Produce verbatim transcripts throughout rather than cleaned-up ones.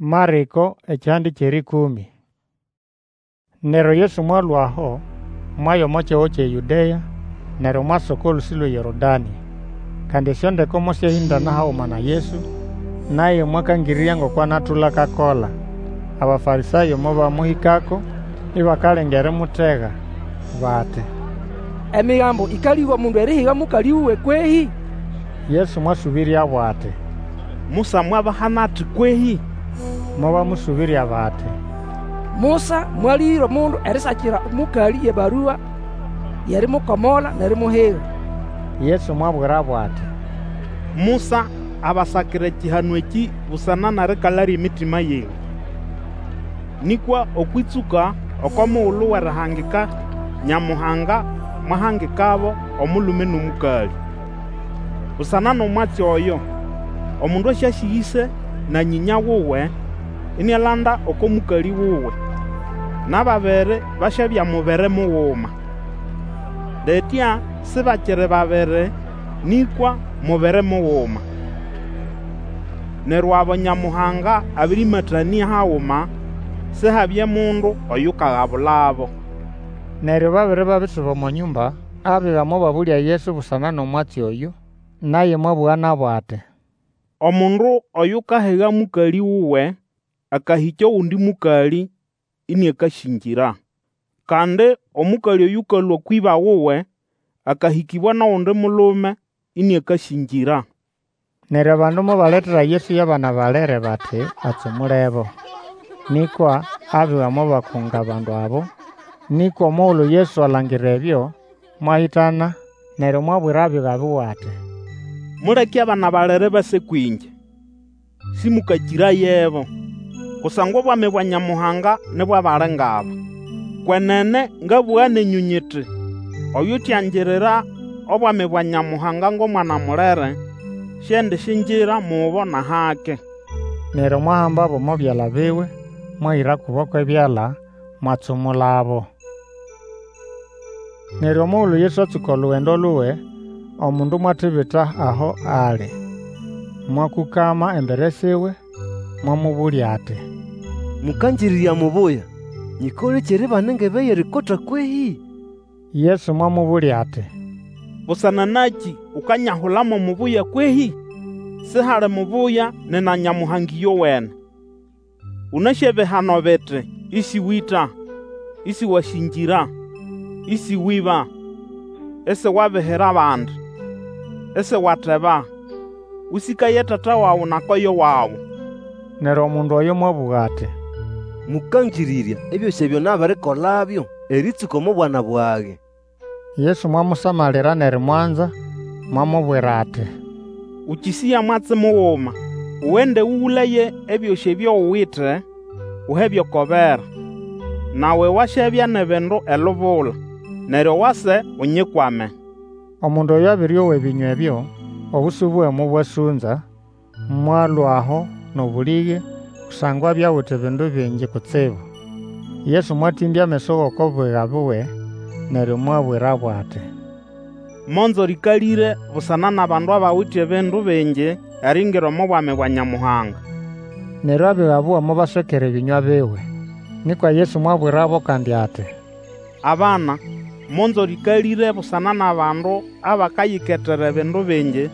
Marĩko ekihande ky'erĩkũmĩ. Neryo Yesu mwalũa aho, mwaya omo kihugo ky'eYũdea, neryo mwasa oko lũsĩ lw'eYorodanĩ. Kandi esyondeko mosyahĩndana haguma na Yesu, naye mwakangĩrĩrya ngoko anatũla akakola. Abafarĩsayo mobamũhĩkako, ibakalenga erimutega, bati, Emigambo ĩkalĩga omundu erihiga mũkalĩ wuwe kwehĩ? Yesu mwasũbĩryabo ati, Musa mwabahana ati kwehĩ? Mobamũsũbĩrya bati, Musa mwalĩgĩra omundu erisakira omũkalĩ y'ebarua y'erimukomola n'erimuhiga. Yesu mwabwirabo ati, Musa abasakira ekihano ekĩ busana n'erikala ly'emitima yenyũ. Nĩkwa okw'ĩtsũka oko mugulu w'erihangika Nyamuhanga mwahangikabo omulume n'omũkalĩ. Busana n'omwatsi oyo, omundu asyasĩga ĩse na nyĩnya wuwe, inialanda oko mũkalĩ wuwe, n'ababiri basyabya mubiri muguma. Litya sibakiri babiri, nĩkwa mubiri muguma. Neryo abo Nyamuhanga abĩrĩmatanĩa haguma, Sihabye mundu oyukagabulabo. Neryo babere babisuba omo nyũmba, abiga mobabũlya Yesu busana n'omwatsi oyũ. Naye mwabũga nabo ati, Omundu oyukahiga mũkalĩ wuwe, akahĩkya ogundi mũkalĩ, ĩnĩakasĩngĩra. Kandi omũkalĩ oyũkalũa kw'ĩba wuwe, akahĩkĩbwa n'ogundi mulume, ĩnĩakasĩngĩra. Neryo abandu mobaletera Yesu y'abana balere bati atsumulebo. Nĩkwa abiga mobakunga abandu abo. Nĩkwa omugulu Yesu alangira ebyo, mwahĩtana, neryo mwabwira abiga biwe ati, Muleke abana balere base kwĩngye, sĩmũkakĩrayebo, kusangwa obwami bwa Nyamuhanga ni bw'abali ng'aba. Kwenene ngabũga nenyũ nyiti, Oyutiangirira obwami bwa Nyamuhanga ng'omwana mulere, siendisyingira mubo n'ahake. Neryo mwahambabo omo byala biwe, mwahĩra kubo kw'ebyala, mwatsumulabo. Neryo omugulu Yesu atsũka olugendo luwe, omundu mwatibita aho ali, mwakũkama embere siwe, mwamũbũlya ati, Mũkangĩrĩrya mubuya, nyĩkolekĩ eribana engebe y'erikota kwehĩ? Yesu mwamũbũlya ati, Busana nakĩ ukanyahula mo mubuya kwehĩ? Sihali mubuya nina Nyamuhanga ĩyowene. Ũnasĩ ebihano biti, Ĩsĩwĩta, Ĩsĩwasĩngĩra, Ĩsĩwĩba, Isiwabihira abandi, Isiwateba, Ũsĩkaye tata wawe na koyo wawe. Neryo omundu oyo mwabũga ati, Mũkangĩrĩrya, ebyosĩ ebyo nabirikolabyo erĩtsũka omo bwana bwage. Yesu mwamusamalira n'erimwanza, mwamubwira ati, Ũkĩsĩya mwatsi muguma, ugende ũgũlaye ebyosĩ ebyo uwite, uhebyo oko bera, nawe wasyabya n'ebindu elubula. Neryo wase Unyikwame. Omundu oyo abĩrĩowa ebĩnywa ebyo, obusu buwe mobwasũnza, mwalũa aho n'obũlĩge, kusangwa abya awite ebindu bingi kutsibu. Yesu mwatĩmbya ameso g'oko biga biwe, neryo mwabwirabo ati, Monzo rĩkalĩre busana n'abandu abawite ebindu bingi eriingira omo Bwami bwa Nyamuhanga! Neryo abiga buwe mobaswekera ebĩnywa biwe. Nĩkwa Yesu mwabwirabo kandi ati, Abana, monzo rĩkalĩre busana n'abandu abakayiketera ebindu bingi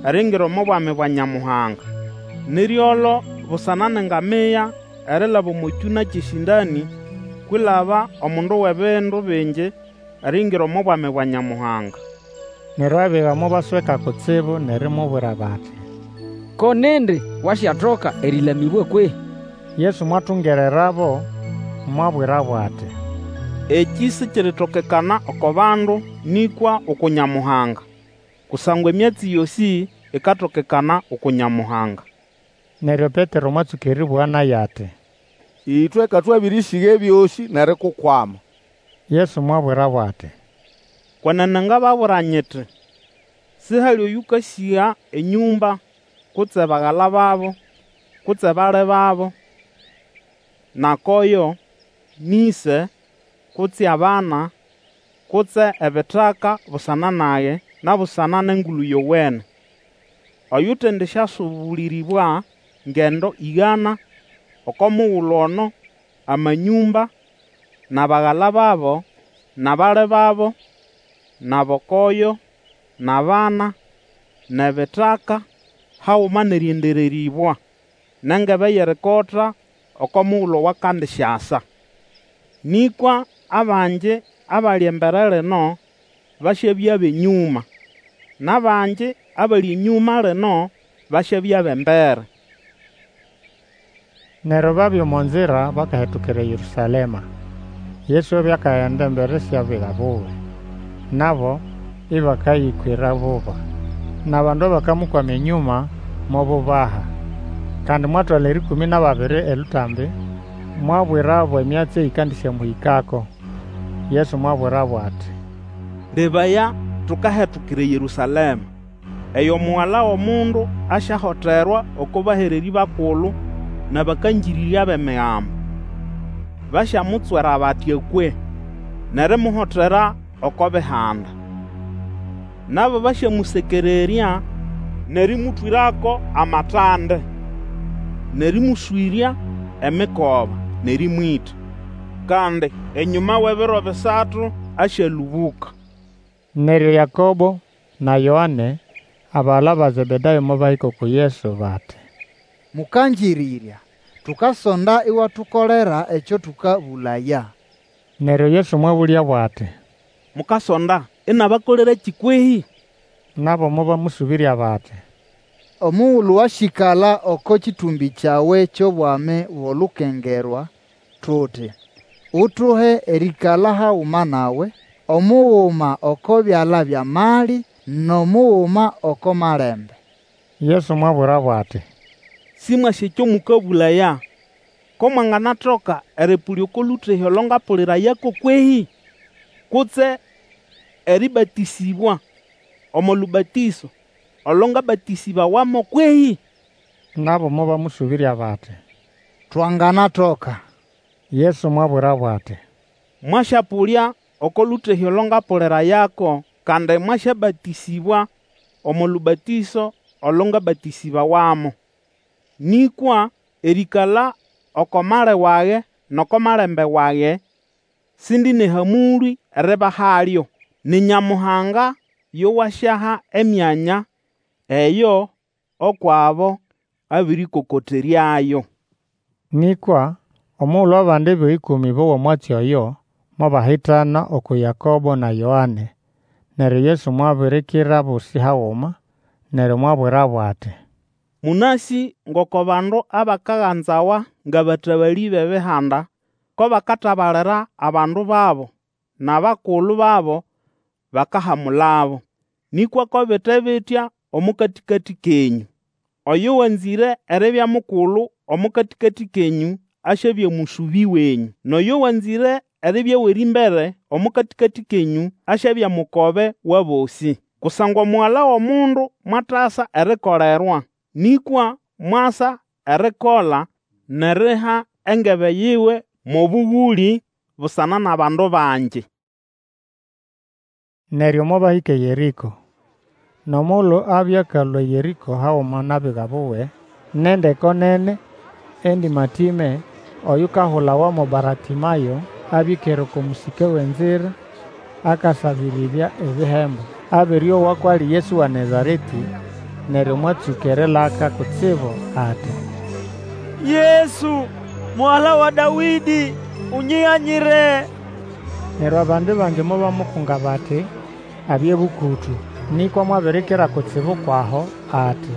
eriingira omo Bwami bwa Nyamuhanga! Ni ryolo busana n'engamia erilaba omo kyũna ky'esĩndanĩ kwilaba omundu w'ebindu bingi eriingira omo Bwami bwa Nyamuhanga. Neryo abiga mobasweka kutsibu n'erimubwira bati, Ko nindi wasyatoka erĩlamĩbwa kwehĩ? Yesu mwatungererabo, mwabwirabo ati, Ekĩ sikiritokekana oko bandu, nĩkwa uku Nyamuhanga. Kusangwa emyatsi yosĩ ikatokekana uku Nyamuhanga. Neryo Petero mwatsũka erĩbũga naye ati, Ĩtwe ka twabĩrĩsĩga ebyosĩ n'erikukwama. Yesu mwabwirabo ati, Kwenene ngababwira nyiti, Sihali oyũkasĩga enyũmba, kutse bagala babo, kutse bali babo, na koyo, n'ĩse, kutse abana, kutse ebitaka busana nage, na busana n'Engulu Yowene, oyutendisyasũbũlĩrĩbwa ngendo ĩgana oko mugulu ono amanyũmba, n'abagala babo, n'abali babo, n'abokoyo, n'abana, n'ebitaka, haguma n'erĩendererĩbwa, n'engebe y'erikota oko mugulu owakandisyasa. Nĩkwa abangi abali embere lino basyabya b'enyũma, n'abangi abali enyũma lino basyabya b'embere. Neryo babya omo nzira bakahetukira eYerũsalema. Yesu abya akagenda embere sy'abiga buwe, nabo ĩbakayĩkwĩra buba. N'abandu abakamukwama enyũma mobubaha. Kandi mwatwala erĩkũmĩ n'ababiri elũtambi, mwabwirabo emyatsi eyĩkandĩsyamũhĩkako. Yesu mwabwirabo ati, Lebaya, tukahetukira eYerũsalema, eyo Mugala w'Omundu asyahoterwa oko bahererĩ bakulu n'abakangĩrĩrya b'Emigambo. Basyamutswera bati akwe, n'erimuhotera oko Bihanda. Nabo basyamũsekererya n'erĩmũtwĩrako amatande, n'erĩmũswĩrya emikoba, n'erĩmwĩta. Kandi enyũma w'ebiro bisatu asyalũbũka. Neryo Yakobo na Yoane, abagala ba Zebedayo mobahĩka uku Yesu bati, Mũkangĩrĩrya, tukasonda iwatukolera ekyo tũkabũlaya. Neryo Yesu mwabũlyabo ati, Mukasonda inabakolerakĩ kwehĩ? Nabo mobamũsũbĩrya bati, Omugulu wasyĩkala oko kĩtũmbĩ kyawe ky'obwami g'olukengerwa, tuti, utuhe erĩĩkala haguma nawe, omuguma oko byala by'amali, n'omuguma oko malembe. Yesu mwabwirabo ati, Sĩmwasĩ ekyo mũkabũlaya. Ko mwanganatoka erĩpũlya oko lũtehĩ olo ngapũlĩrayako kwehĩ? Kutse erĩbatĩsĩbwa omo lũbatĩso olo ngabatĩsĩbawamo kwehĩ? Nabo mobamũsũbĩrya bati, Twanganatoka. Yesu mwabwirabo ati, Mwasyapũlya oko lũtehĩ olo ngapũlĩrayako, kandi mwasyabatĩsĩbwa omo lũbatĩso olo ngabatĩsĩbawamo. Nĩkwa erĩĩkala oko mali wage n'oko malembe wage, sindi n'ehamũlĩ eribahalyo. Ni Nyamuhanga yo wasyaha emyanya eyo ukw'abo abĩrĩkokoteryayo. Nĩkwa omugulu abandi abiga ĩkũmĩ bowa omwatsi oyo, mobahitana uku Yakobo na Yoane. Neryo Yesu mwabirikira abosĩ haguma, neryo mwabwirabo ati, Mũnasĩ ngoko bandu abakaganzawa ng'abatabalĩ b'Ebihanda ko bakatabalira abandu babo, n'abakulu babo bakahamulabo. Nĩkwa ko bite bitya omo katĩkatĩ kenyũ. Oyo wanzĩre eribya mukulu omo katĩkatĩ kenyũ asyabya mũsũbĩ wenyũ. N'oyo wanzĩre eribya w'erĩmbere omo katĩkatĩ kenyũ asyabya mukobe w'abosĩ. Kusangwa Omugala w'Omundu mwatasa erikolerwa, nĩkwa mwasa erikola n'eriha engebe yiwe mo bũgũlĩ busana n'abandu bangi. Neryo mobahĩka eYerĩko. N'omugulu abya akalũa eYerĩko haguma n'abiga buwe, n'endeko nene, endĩmatĩme, oyukahulawa mo Baratĩmayo, abya ĩkere oko mũsĩke w'enzira, akasabĩrĩrya ebihembo. Abere owa kw'ali Yesu wa Nazaretĩ, neryo mwatsũka erilaka kutsibu ati, Yesu, Mugala wa Dawĩdĩ, Unyiganyire! Neryo abandi bangi mobamukunga bati abye bũkũtũ. Nĩkwa mwabirikira kutsibu kw'aho ati,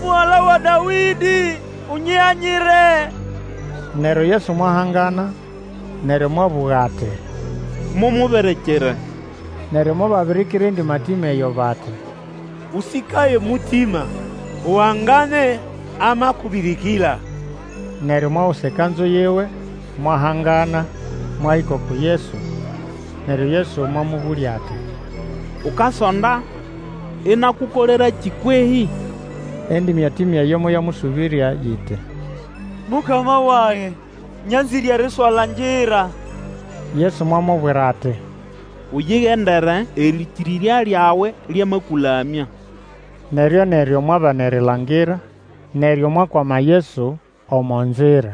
Mugala wa Dawĩdĩ, Unyiganyire! Neryo Yesu mwahangana, neryo mwabũga ati, Mumubirikire. Neryo mobabirikira endĩmatĩme eyo bati, Ũsĩkaye mutima, uhangane, amakubirikira. Neryo mwagusa ekanzu yiwe, mwahangana, mwahĩka uku Yesu. Neryo Yesu mwamũbũlya ati, Ukasonda inakukolerakĩ kwehĩ? Endĩmatĩme eyo moyamũsũbĩrya yiti, Mukama wage, nyanzĩre eriswalangira. Yesu mwamubwira ati, Uyigendere, erĩkĩrĩrya lyawe lyamakũlamya. Neryo-neryo mwabana erilangira, neryo mwakwama Yesu omo nzira.